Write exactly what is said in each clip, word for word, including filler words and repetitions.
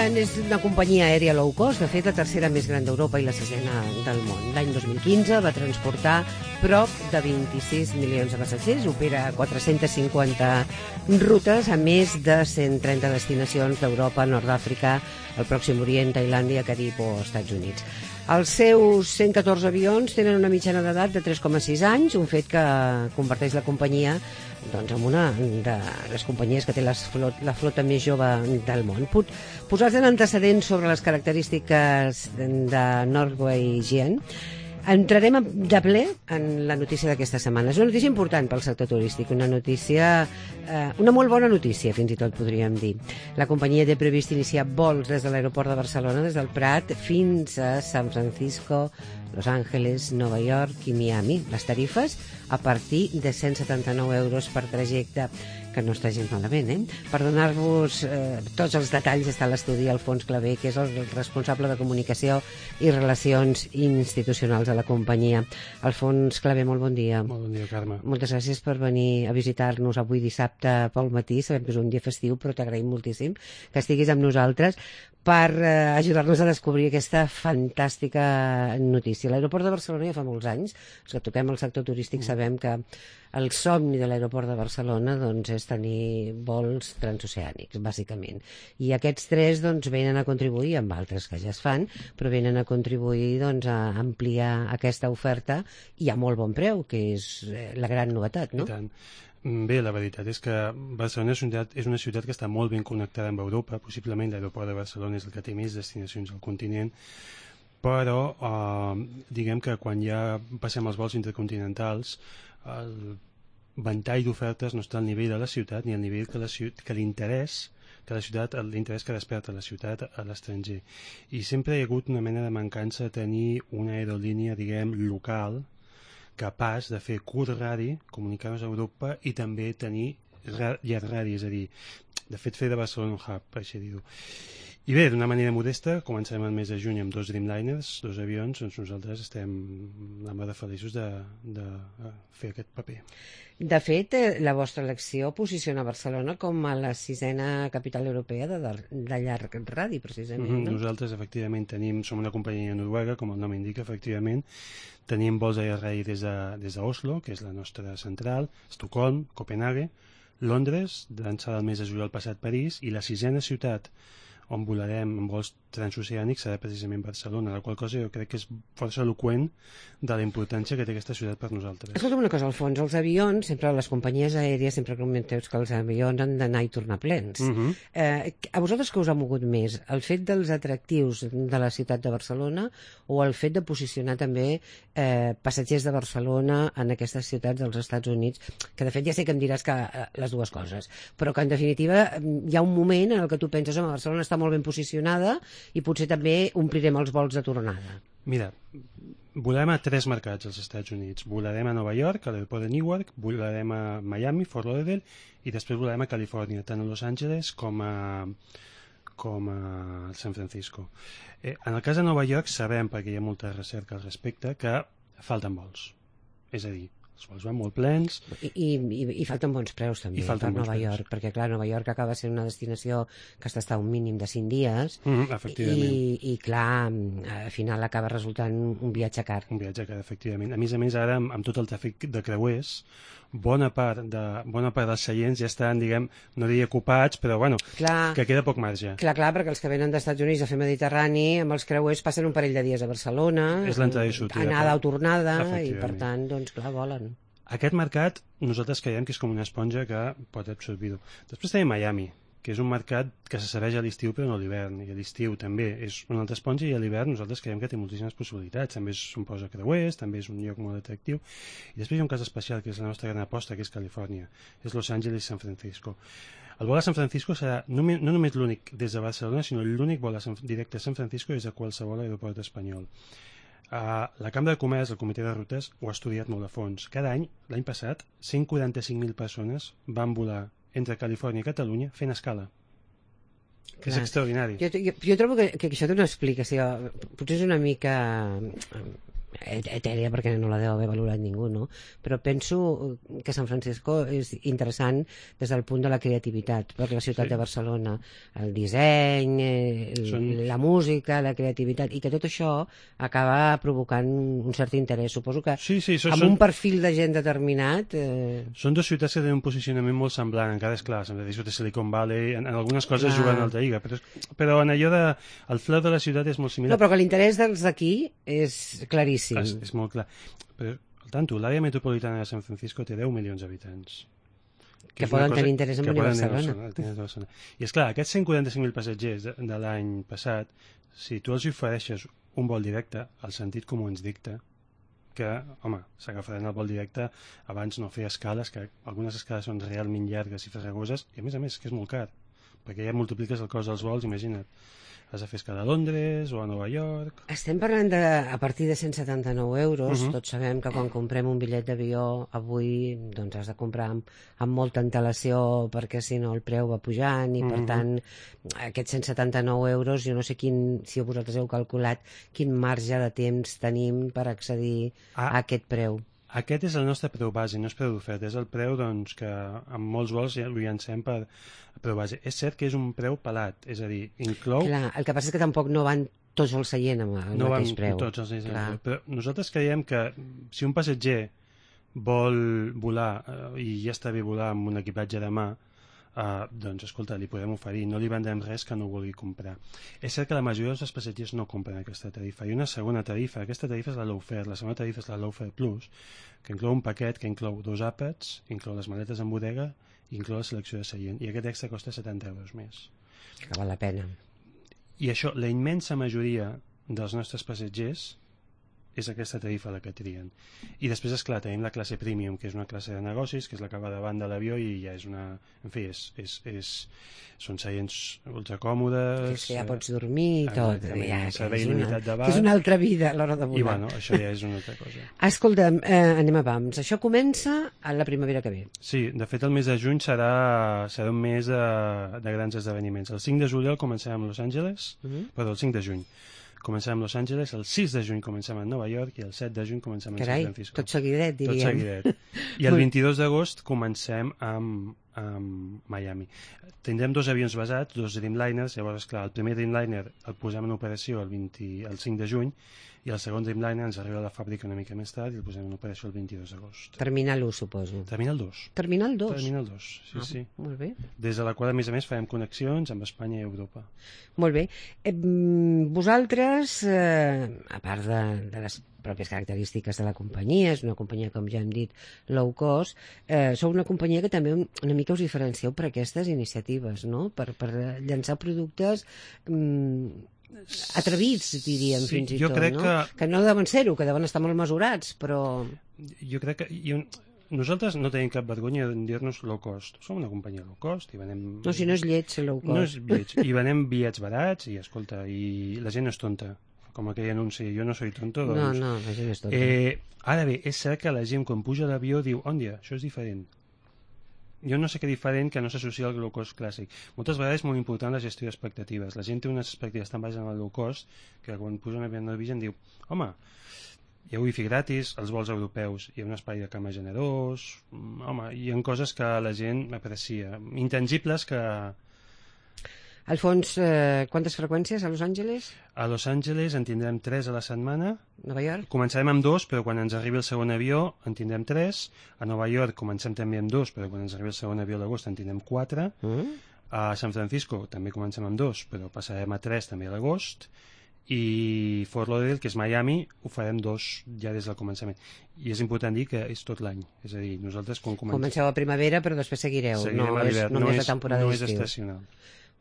Etienne és una companyia aèria low cost, de fet la tercera més gran d'Europa i la sisena del món. L'any dos mil quinze va transportar prop de vint-i-sis milions de passatgers, opera quatre-centes cinquanta rutes a més de cent trenta destinacions d'Europa, Nord d'Àfrica, el Pròxim Orient, Tailàndia, Carib o Estats Units. Els seus cent catorze avions tenen una mitjana d'edat de tres coma sis anys, un fet que converteix la companyia doncs, en una de les companyies que té les flot, la flota més jove del món. Posats en antecedents sobre les característiques de NorweGian, entrarem de ple en la notícia d'aquesta setmana. És una notícia important pel sector turístic, una notícia, eh, una molt bona notícia, fins i tot podríem dir. La companyia té previst iniciar vols des de l'aeroport de Barcelona, des del Prat, fins a San Francisco, Los Angeles, Nova York i Miami. Les tarifes a partir de cent setanta-nou euros per trajecte, que no està gens malament, eh? Per donar-vos eh, tots els detalls està a l'estudi Alfons Clavé, que és el responsable de comunicació i relacions institucionals de la companyia. Alfons Clavé, molt bon dia. Molt bon dia, Carme. Moltes gràcies per venir a visitar-nos avui dissabte pel matí. Sabem que és un dia festiu, però t'agraïm moltíssim que estiguis amb nosaltres per eh, ajudar-nos a descobrir aquesta fantàstica notícia. L'aeroport de Barcelona ja fa molts anys, els que toquem el sector turístic sabem que el somni de l'aeroport de Barcelona doncs, és tenir vols transoceànics, bàsicament. I aquests tres doncs, venen a contribuir, amb altres que ja es fan, però venen a contribuir doncs, a ampliar aquesta oferta i a molt bon preu, que és la gran novetat, no? I tant. Bé, la veritat és que Barcelona és una ciutat, és una ciutat que està molt ben connectada amb Europa, possiblement l'aeroport de Barcelona és el que té més destinacions al continent, però eh, diguem que quan ja passem els vols intercontinentals, el ventall d'ofertes no està al nivell de la ciutat ni al nivell que la ciutat, que l'interès que la ciutat, l'interès que desperta la ciutat a l'estranger. I sempre hi ha hagut una mena de mancança de tenir una aerolínia, diguem, local, capaç de fer curt radi, comunicar-nos a Europa i també tenir llarg radi, és a dir, de fet fer de Barcelona un hub, per així dir-ho. I bé, d'una manera modesta, començarem el mes de juny amb dos Dreamliners, dos avions, doncs nosaltres estem la mar de feliços de, de fer aquest paper. De fet, la vostra elecció posiciona Barcelona com a la sisena capital europea de, de llarg radi, precisament. Mm-hmm. No? Nosaltres, efectivament, tenim, som una companyia noruega, com el nom indica, efectivament. Tenim vols a llarg radi des de, des d'Oslo, que és la nostra central, Estocolm, Copenhague, Londres, d'ençà del mes de juliol passat París, i la sisena ciutat on volarem amb vols transoceànics serà precisament Barcelona, la qual cosa jo crec que és força eloqüent de la importància que té aquesta ciutat per nosaltres. Escolta'm una cosa, Alfons, els avions, sempre les companyies aèries sempre comenteu que els avions han d'anar i tornar plens. Uh-huh. eh, a vosaltres què us ha mogut més? El fet dels atractius de la ciutat de Barcelona o el fet de posicionar també eh, passatgers de Barcelona en aquestes ciutats dels Estats Units, que de fet ja sé que em diràs que eh, les dues coses, però que en definitiva hi ha un moment en el que tu penses, home, Barcelona està molt ben posicionada i potser també omplirem els vols de tornada. Mira, volarem a tres mercats als Estats Units. Volarem a Nova York, a l'aeroport de Newark, volarem a Miami, Fort Lauderdale, i després volarem a Califòrnia, tant a Los Angeles com a, com a San Francisco. Eh, en el cas de Nova York sabem, perquè hi ha molta recerca al respecte, que falten vols. És a dir, els vols van molt plens. I, i, i falten bons preus també per Nova preus. York, perquè clar, Nova York acaba sent una destinació que està a un mínim de cinc dies mm, efectivament. i, i clar, al final acaba resultant un viatge car. Un viatge car, efectivament. A més a més, ara, amb, amb tot el tràfic de creuers, bona part, de, bona part dels seients ja estan, diguem, no diria ocupats, però bueno, clar, que queda poc marge. Clar, clar, perquè els que venen dels Estats Units a fer Mediterrani, amb els creuers passen un parell de dies a Barcelona, és l'entrada i sortida, anada o tornada, i per Efectivament. tant, doncs clar, volen. Aquest mercat nosaltres creiem que és com una esponja que pot absorbir-ho. Després tenim Miami, que és un mercat que se serveix a l'estiu però no a l'hivern, i a l'estiu també és una altra esponja, i a l'hivern nosaltres creiem que té moltíssimes possibilitats, també són posa creuers, també és un lloc molt atractiu, i després hi ha un cas especial que és la nostra gran aposta, que és Califòrnia, és Los Angeles i San Francisco. El vol a San Francisco serà no, no només l'únic des de Barcelona, sinó l'únic vol a San, directe a San Francisco des de qualsevol aeroport espanyol. Uh, la Cambra de Comerç, el Comitè de Rutes, ho ha estudiat molt a fons. Cada any, l'any passat, cent quaranta-cinc mil persones van volar entre Califòrnia i Catalunya fent escala. Clar. És extraordinari. Jo, jo, jo trobo que, que això té una explicació, potser és una mica etèria perquè no la deu haver valorat ningú, no? Però penso que San Francisco és interessant des del punt de la creativitat, perquè la ciutat sí. de Barcelona, el disseny, el, Són... la música, la creativitat, i que tot això acaba provocant un cert interès. Suposo que sí, sí, so, amb són... un perfil de gent determinat... Eh... Són dues ciutats que tenen un posicionament molt semblant, encara és clar, San Francisco de Silicon Valley, en, en algunes coses clar. Juguen a alta lliga, però, però en allò de... el flow de la ciutat és molt similar. No, però que l'interès dels d'aquí és claríssim. És, és molt clar. Però, al tanto, l'àrea metropolitana de San Francisco té deu milions d'habitants. Que, que poden tenir interès en venir a Barcelona. Barcelona. I és clar, aquests cent quaranta-cinc mil passatgers de, de l'any passat, si tu els ofereixes un vol directe, el sentit comú ens dicta que, home, s'agafaran el vol directe abans no fer escales, que algunes escales són realment llargues i farragoses, i a més a més que és molt car, perquè ja multipliques el cost dels vols, imagina't. Has de fer escala a Londres o a Nova York... Estem parlant de, a partir de cent setanta-nou euros. Uh-huh. Tots sabem que quan comprem un bitllet d'avió avui doncs has de comprar amb, amb molta antelació perquè si no el preu va pujant i uh-huh. per tant aquests cent setanta-nou euros jo no sé quin, si vosaltres heu calculat quin marge de temps tenim per accedir ah. a aquest preu. Aquest és el nostre preu base, no és preu d'oferta, és el preu doncs, que amb molts vols ja ho llancem per preu base. És cert que és un preu pelat, és a dir, inclou... Clar, el que passa és que tampoc no van tots els seients amb el no mateix preu. No van tots els seients amb el preu, però nosaltres creiem que si un passatger vol volar eh, i ja està bé volar amb un equipatge de mà, Uh, doncs, escolta, li podem oferir, no li vendrem res que no vulgui comprar. És cert que la majoria dels passatgers no compren aquesta tarifa. Hi ha una segona tarifa, aquesta tarifa és la Low Fare, la segona tarifa és la Low Fare Plus, que inclou un paquet que inclou dos àpats, inclou les maletes en bodega i inclou la selecció de seient, i aquest extra costa setanta euros més. Que val la pena. I això, la immensa majoria dels nostres passatgers és aquesta tarifa la que trien. I després, esclar, tenim la classe premium, que és una classe de negocis, que és la que va davant de l'avió i ja és una... En fi, és, és, és... són seients ultra còmodes... És que ja pots dormir i tot. Ja, servei il·limitat de bar. Que és una altra vida a l'hora de volar. I bueno, això ja és una altra cosa. Escolta'm, eh, anem a pams. Això comença a la primavera que ve. Sí, de fet el mes de juny serà, serà un mes de, de grans esdeveniments. El cinc de juliol comencem amb Los Angeles, uh-huh. perdó, el cinc de juny. Comencem amb Los Angeles, el sis de juny comencem a Nova York i el set de juny comencem a San Francisco. Tot seguidet, diríem. Tot seguidet. I el vint-i-dos d'agost comencem amb, amb Miami. Tindrem dos avions basats, dos Dreamliners, llavors, esclar, el primer Dreamliner el posem en operació el, vint, el cinc de juny i el segon Dreamliner ens arriba a la fàbrica una mica més tard i el posem en operació el vint-i-dos d'agost. Terminal u, suposo. Terminal dos. Terminal dos? Terminal dos, sí, ah, sí. Molt bé. Des de la qual, a més a més, farem connexions amb Espanya i Europa. Molt bé. Eh, vosaltres, eh, a part de, de les pròpies característiques de la companyia, és una companyia, com ja hem dit, low cost, eh, sou una companyia que també una mica us diferencieu per aquestes iniciatives, no? Per, per llançar productes mm, atrevits, diríem, sí, fins i tot, no? Que... que no deuen ser-ho, que deuen estar molt mesurats, però... Jo crec que... Jo... Nosaltres no tenim cap vergonya de dir-nos low cost. Som una companyia low cost i venem... No, si no és lleig ser low cost. No és lleig. I venem bitllets barats i, escolta, i la gent no és tonta. Com aquell anunci, jo no soy tonto, doncs... No, no, la gent és tonta. Eh, ara bé, és cert que la gent quan puja a l'avió diu, òndia, això és diferent. Jo no sé què diferent que no s'associa al low cost clàssic. Moltes vegades és molt important la gestió d'expectatives. La gent té unes expectatives tan baixes en el low cost que quan puja un avió en el Vision diu, home, hi ha wifi gratis, els vols europeus, hi ha un espai de cama generós, home, hi ha coses que la gent aprecia, intangibles que... Alfons, eh, quantes freqüències a Los Angeles? A Los Angeles en tindrem tres a la setmana. Nova York? Començarem amb dos, però quan ens arribi el segon avió en tindrem tres. A Nova York comencem també amb dos, però quan ens arribi el segon avió a l'agost en tindrem quatre. Mm. A San Francisco també comencem amb dos, però passarem a tres també a l'agost. I Fort Lauderdale, que és Miami, ho farem dos ja des del començament. I és important dir que és tot l'any. És a dir, nosaltres quan comencem... Comenceu a primavera, però després seguireu. Seguirem no, a l'hivern. No, no és la temporada no d'estiu. No és estacional.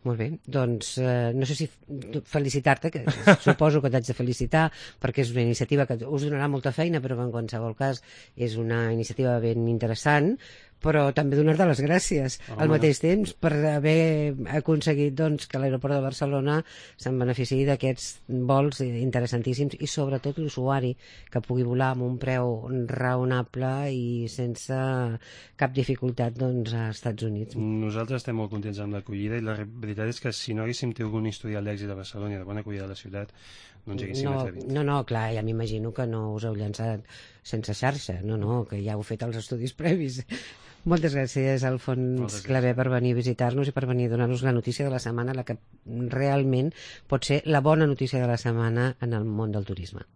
Molt bé, doncs eh, no sé si felicitar-te, que suposo que t'haig de felicitar, perquè és una iniciativa que us donarà molta feina, però en qualsevol cas és una iniciativa ben interessant, però també donar-te les gràcies Home, al mateix temps per haver aconseguit doncs, que l'aeroport de Barcelona se'n beneficiï d'aquests vols interessantíssims i sobretot l'usuari que pugui volar amb un preu raonable i sense cap dificultat doncs, a Estats Units. Nosaltres estem molt contents amb l'acollida i la veritat és que si no haguéssim tingut un historial d'èxit a Barcelona i de bona acollida a la ciutat no ens haguéssim no, atrevit. No, no, clar, ja m'imagino que no us heu llançat sense xarxa, no, no, que ja heu fet els estudis previs. Moltes gràcies, Alfons Clavé, per venir a visitar-nos i per venir a donar-nos la notícia de la setmana, la que realment pot ser la bona notícia de la setmana en el món del turisme.